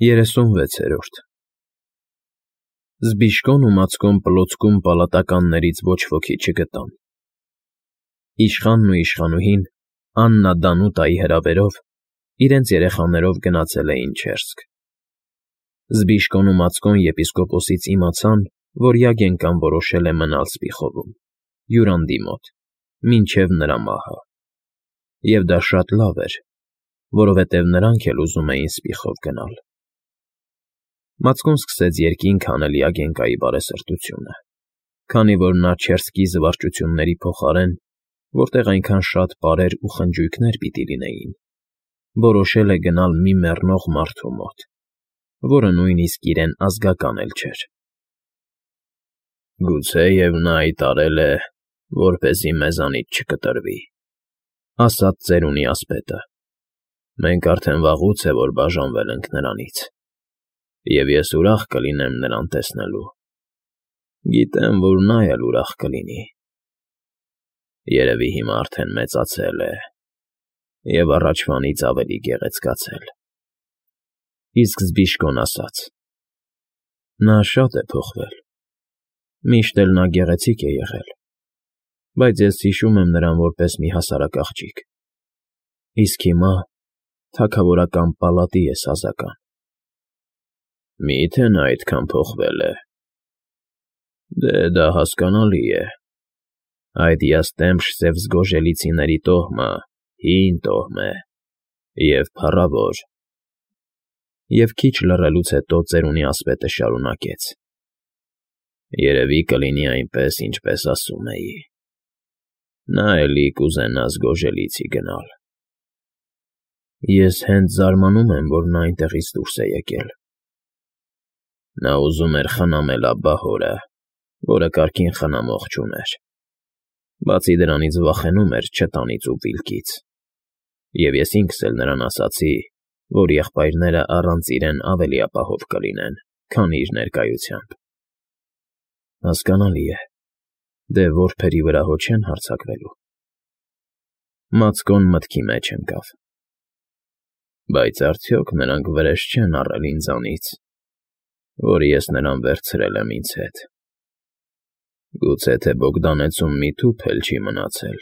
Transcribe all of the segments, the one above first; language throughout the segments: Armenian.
36-րդ Զբիշկոն ու Մացկոն պլոցքում պալատականներից ոչ ոքի չգտան։ Իշխանն ու իշխանուհին, Աննա Դանուտայի հրավերով, իրենց երեխաներով գնացել էին Չերսկ։ Զբիշկոն ու Մացկոն եպիսկոպոսից իմացան, որ Յագենկան որոշել է մնալ Սպիխովում, Յուրանդի մոտ, մինչև նրա մահը։ Եվ դա շատ լավ էր, որովհետև նրանք էլ ուզում էին Սպիխով գնալ։ Մացկոն սկսեց երկինք հանել Յագենկայի բարեսրտությունը, քանի որ նա Չերսկի զվարճությունների փոխարեն, որտեղ այնքան շատ պարեր ու խնջույքներ պիտի լինեին, որոշել է գնալ մի մեռնող մարդու մոտ, որը նույնիսկ իրեն ազգական էլ չէր։ «Գուցեև նա այդ արել է, որպեսզի մեզանից չկտրվի,֊ ասաց ծերունի ասպետը։֊ Մենք արդեն վաղուց է, որ բաժանվել ենք նրանից, և ես ուրախ կլինեմ նրան տեսնելու։ Գիտեմ, որ նա էլ ուրախ կլինի։ Երևի հիմա արդեն մեծացել է և առաջվանից ավելի գեղեցկացել»։ Իսկ Զբիշկոն ասաց. «Նա շատ է փոխվել, միշտ էլ նա գեղեցիկ է եղել, բայց ես հիշում եմ նրան որպես մի հասարակ աղջիկ, իսկ հիմա թագավորական պալատի է սազական»։ «Մի՞թե նա այդքան փոխվել է։ Դե, դա հասկանալի է։ Այդ յաստեմփ Սևզգոժելիցիների տոհմը հին տոհմ է և փառավոր»։ Եվ քիչ լռելուց հետո ծերունի ասպետը շարունակեց. «Երևի կլինի այնպես, ինչպես ասում էի. նա էլի կուզենա Զգոժելիցի գնալ»։ Ես հենց զարմանում եմ, որ նա այնտեղից դուրս է եկել։ Նա ուզում էր խնամել Աբբահորը, որը կարգին խնամող չուներ։ Բացի դրանից վախենում էր չտանից ու վիլկից։ Եվ ես ինքս էլ նրան ասացի, որ եղբայրները առանց իրեն ավելի ապահով կլինեն, քան իր ներկայությամբ։ Հասկանալի է, դե որբերի վրա հո չեն հարձակվելու։ Մացկոն մտքի մեջ ընկավ։ Բայց արդյոք նրանք վրեժ չեն առել ինձանից, որ ես նրան վերցրել եմ ինձ հետ։ Գուցե թե Բոգդանեցում մի թուփ էլ չի մնացել,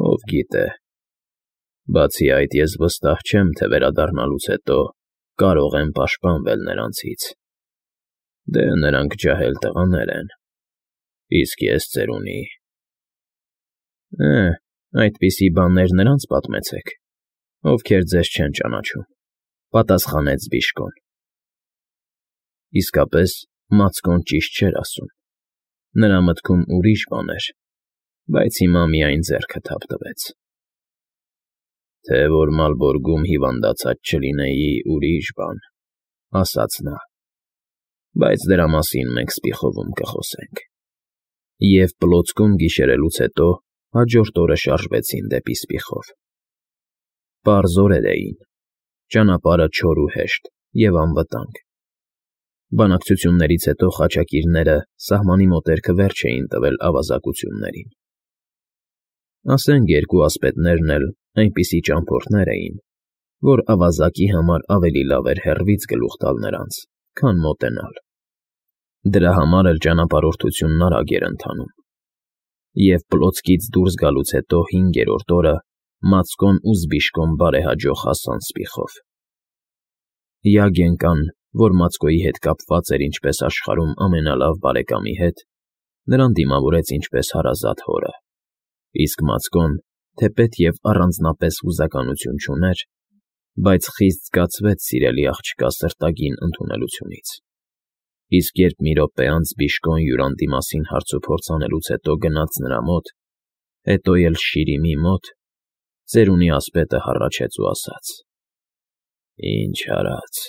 ով գիտե։ Բացի այդ, ես վստահ չեմ, թե վերադառնալուց հետո կարող եմ պաշտպանվել նրանցից։ Դե, նրանք ջահել տղաներ են, իսկ ես ծերունի։ Այդպիսի բաներ նրանց պատմեցեք, ովքեր ձեզ չեն ճանաչում,֊ պատասխանեց Զբիշկոն։ Իսկապես, Մացկոն ճիշտ չէր ասում։ Նրա մտքում ուրիշ բան էր, բայց հիմա միայն ձեռքը թափ տվեց։ Թե որ Մալբորգում հիվանդացած չլինեի, ուրիշ բան,֊ ասաց նա։ Բայց դրա մասին մենք Սպիխովում կխոսենք։ Եվ պլոցքում գիշերելուց հետո հաջորդ օրը շարժվեցին դեպի Սպիխով։ Պարզ օրեր էին, ճանապարհը չոր ու հեշտ և անվտանգ։ Բանակցություններից հետո խաչակիրները սահմանի մոտերքը վերջ էին տվել ավազակություններին։ Ասենք երկու ասպետներն էլ այնպիսի ճամփորդներ էին, որ ավազակի համար ավելի լավ էր հեռվից գլուխ տալ նրանց, քան մոտենալ։ Դրա համար էլ ճանապարհորդությունն արագ էր ընթանում։ Եվ պլոցքից դուրս գալուց հետո 5-րդ օրը Մացկոն ու Զբիշկոն բարեհաջող հասան Սպիխով։ Յագենկան, որ Մացկոյի հետ կապված էր ինչպես աշխարհում ամենալավ բարեկամի հետ, նրան դիմավորեց ինչպես հարազատ հորը, իսկ Մացկոն, թեպետ և առանձնապես հուզականություն չուներ, բայց խիստ զգացվեց սիրելի աղջկա սրտագին ընդունելությունից։ Իսկ երբ մի րոպե անց Զբիշկոն Յուրանդի մասին հարցուփորձ անելուց հետո գնաց նրա մոտ, հետո էլ Շիրիմի մոտ, ծերունի ասպետը հառաչեց ու ասաց. «Ինչ արած։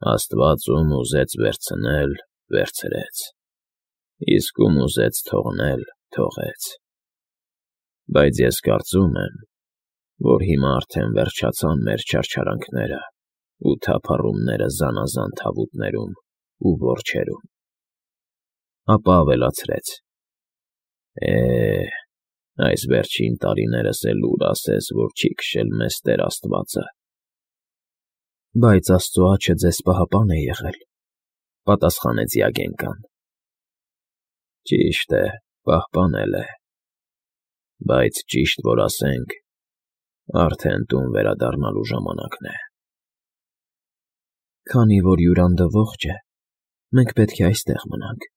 Աստված ում ուզեց վերցնել, վերցրեց, իսկ ում ուզեց թողնել, թողեց։ Բայց ես կարծում եմ, որ հիմա արդեն վերջացան մեր չարչարանքները ու թափառումները զանազան թավուտներում ու որջերում»։ Ապա ավելացրեց. այս վերջին տարիներս էլ ուր ասես, որ չի քշել մեզ Տեր Աստվածը։ Բայց Աստծո աջը ձեզ պահապան է եղել, պատասխանեց Յագենկան։ Ճիշտ է, պահպանել է, բայց ճիշտ որ ասենք, արդեն տուն վերադառնալու ժամանակն է։ Քանի որ հյուրանդը ողջ է, մենք պետք է այստեղ մնանք,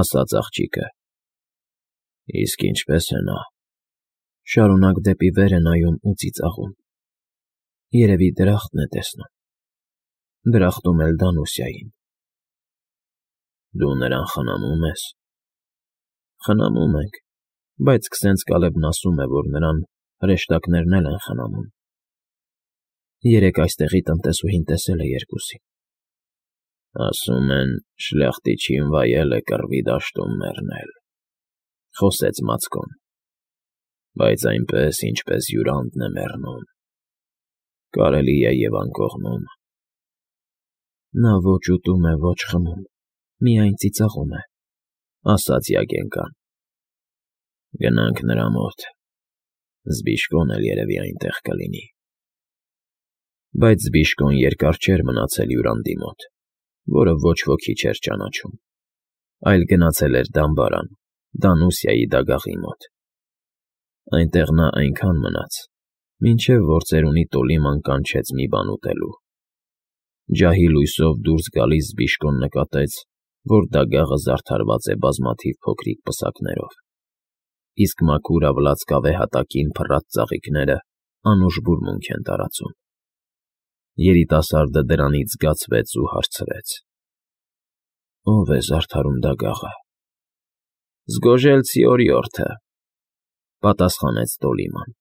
ասաց աղջիկը։ Իսկ ինչպես է նա։ Շարունակ դեպի վեր է նայում ու ծիծաղում։ Երևի դրախտն է տեսնում։ Դրախտում էլ Դանուսիային։ Դու նրան խնամում ես։ Խնամում ենք, բայց քսենց Կալեբն ասում է, որ նրան հրեշտակներն էլ են խնամում։ Երեկ այստեղի տնտեսուհին տեսել է երկուսին։ Ասում են, շլյախտիչին վայել է կռվի դաշտում մեռնել, խոսեց Մացկոն, բայց այնպես, ինչպես հյուրանդն է մեռնում, կարելի է և անկողնում։ Նա ոչ ուտում է, ոչ խմում, միայն ծիծաղում է, ասաց Յագենկան։ Գնանք նրա մոտ, Զբիշկոն էլ երևի այնտեղ կլինի։ Բայց Զբիշկոն երկար չէր մնացել հյուրանդի մոտ, որը ոչ ոքի չէր ճանաչում, այլ գնացել էր դամբարան, Դանուսիայի դագաղի մոտ։ Այնտեղ նա այնքան մնաց, մինչև որ ծերունի Տոլիման կանչեց մի բան ուտելու։ Ջահի լույսով դուրս գալիս Զբիշկոն նկատեց, որ դագաղը զարդարված է բազմաթիվ փոքրիկ պսակներով, իսկ մաքուր ավլաց կավե հատակին փռած ծաղիկները անուշ բուրմունք են տարածում։ Երիտասարդը դրանից զգացվեց ու հարցրեց. Ո՞վ է զարդարում դագաղը։ Զգոժելցի օրիորդը, պատասխանեց Տոլիման։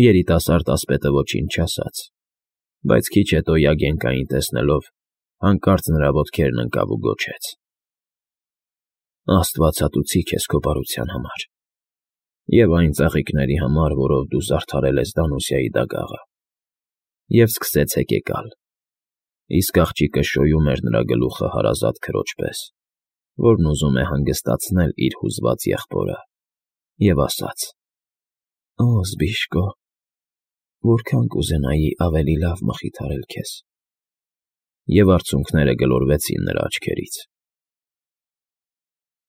Երիտասարդ ասպետը ոչինչ չասաց, բայց քիչ հետո Յագենկային տեսնելով, հանկարծ նրա ոտքերն ընկավ ու գոչեց. Աստվածատուցի քեզ քո բարության համար, և այն ծաղիկների համար, որով դու զարդարել ես Դանուսիայի դագաղը։ Եվ սկսեց հեկեկալ, իսկ աղջիկը շոյում էր նրա գլուխը հարազատ քրոջ պես, որն ուզում է հանգստացնել իր հուզված եղբորը, և ասաց. Օ, Զբիշկո, որքան կուզենայի ավելի լավ մխիթարել քեզ։ Եվ արցունքները գլորվեցին նրա աչքերից։